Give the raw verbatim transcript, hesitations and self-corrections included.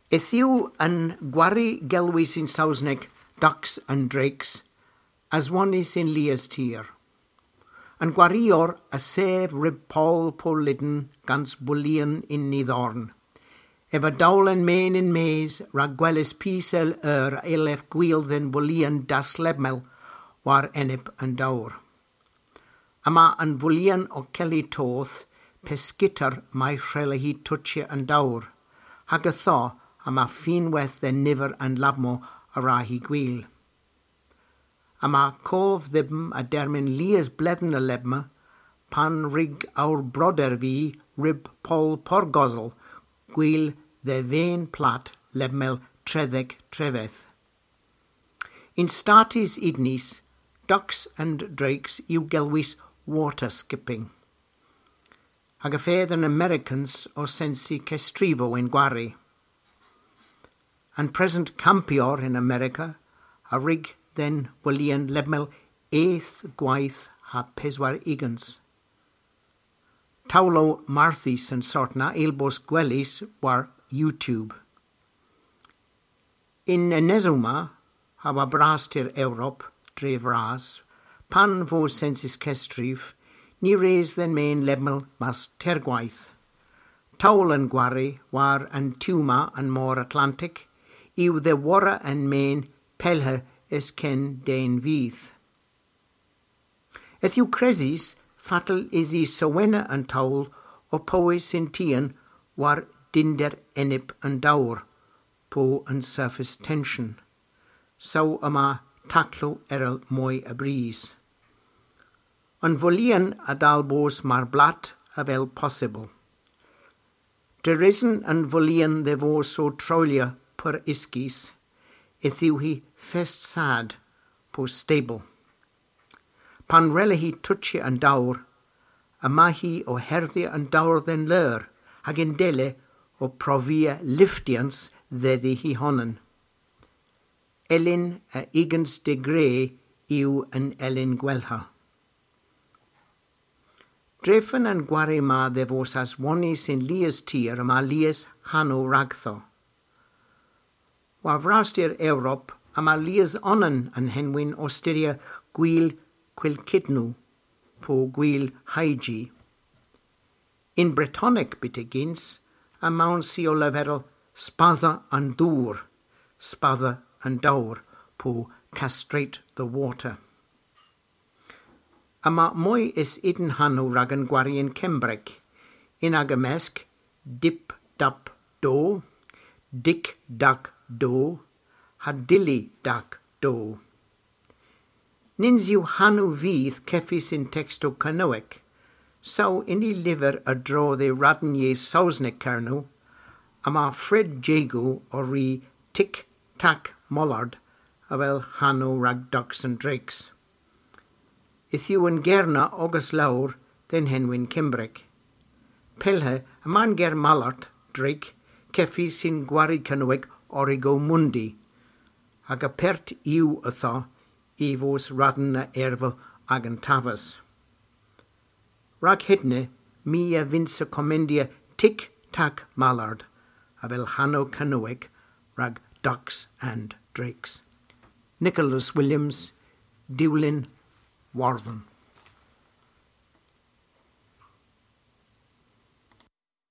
Yth yw an gwari gelwys yn Sowsnek Ducks and Drakes, aswonnys yn lies tir. An gwarior a sev ryb poll Porlydn gans wolyon ynni dhorn. Ev a dowlen men yn-mes rag gweles py sel eur a yllev gwil dhe'n wolyon daslemmel war enep an dowr. Yma an wolyon ow kelli toth pe skiter may hwrella hi tochya an dowr, hag ytho yma finnwedh dhe'n niver an labmow a wra hi gwil. Yma kov dhybm a dermyn lies bledhen a lebma, pan wrug ow broder vy ryb poll Porgosel gwil dhe ven plat lebmel tredhek trevedh. Yn Statys Unys, ducks and drakes yw gelwys water skipping. Hag y fedh an Amerikans ow sensi kesstrivow yn gwari. An present kampyor yn Amerika a wrug dhe'n wolyon lebmel eth gweyth ha peswar ugens. Towlow marthys an sort na a yll bos gwelys war YouTube. Y'n enesow ma, ha war vraster Europa, dre vras, pan vo sensys kesstriv, ny wrug dhe'n men lebmel mas teyrgweyth. Towl an gwari war an tu ma an Mor Atlantek yw dhe worra an men pellhe es ken den vyth. Yth yw kresys fatel usi sewena an towl ow powes yn tien war dynder enep an dowr, po an surface tension. Saw yma taklow erel moy a brys. An wolyon a dal bos mar blat avel possybyl. Drefen an wolyon dhe vos ow troyllya pur uskis, yth yw hi fest sad po stabyl. Pan wrella hi tochya an dowr, yma hi ow herdhya an dowr dhe'n leur, hag yndella ow provia lyftyans dhedhi hy honan. Elin a ugens degre yw an elin gwellha. Drefen an gwari ma dhe vos aswonnys yn lies tir yma lies hanow ragdho. War vraster Europa yma lies onan an henwyn ow styrya gwil Kwilkidnu, po gwil Hayji. Yn Bretonek byttegyns, yma ow sensi ow leverel spadha an dowr, spadha an dowr, po castrate the water. Yma moy es unn hanow rag an gwari yn Kembrek, yn aga mesk Dip Dap Do, Dik Dak Do, ha Dilly Dak Do. Nyns yw hanow vyth kevys yn tekstow Kernewek, saw yn y lyver a-dro dhe radn yeth Sowsnek Kernow, yma Fred Jagow ow ri Tik Tak Mollard avel hanow rag ducks and drakes. Yth yw an ger na ogas lowr dhe'n henwyn Kembrek. Pellhe yma an ger mallard, drake, kevys yn gwari Kernewek Origo Mundi, hag apert yw ytho y vos radn a ervow agan taves. Rag hedna, my a vynnsa komendya Tik Tak Mallard avel hanow Kernewek rag ducks and drakes. Nicholas Williams, Diwlin, Wardhen.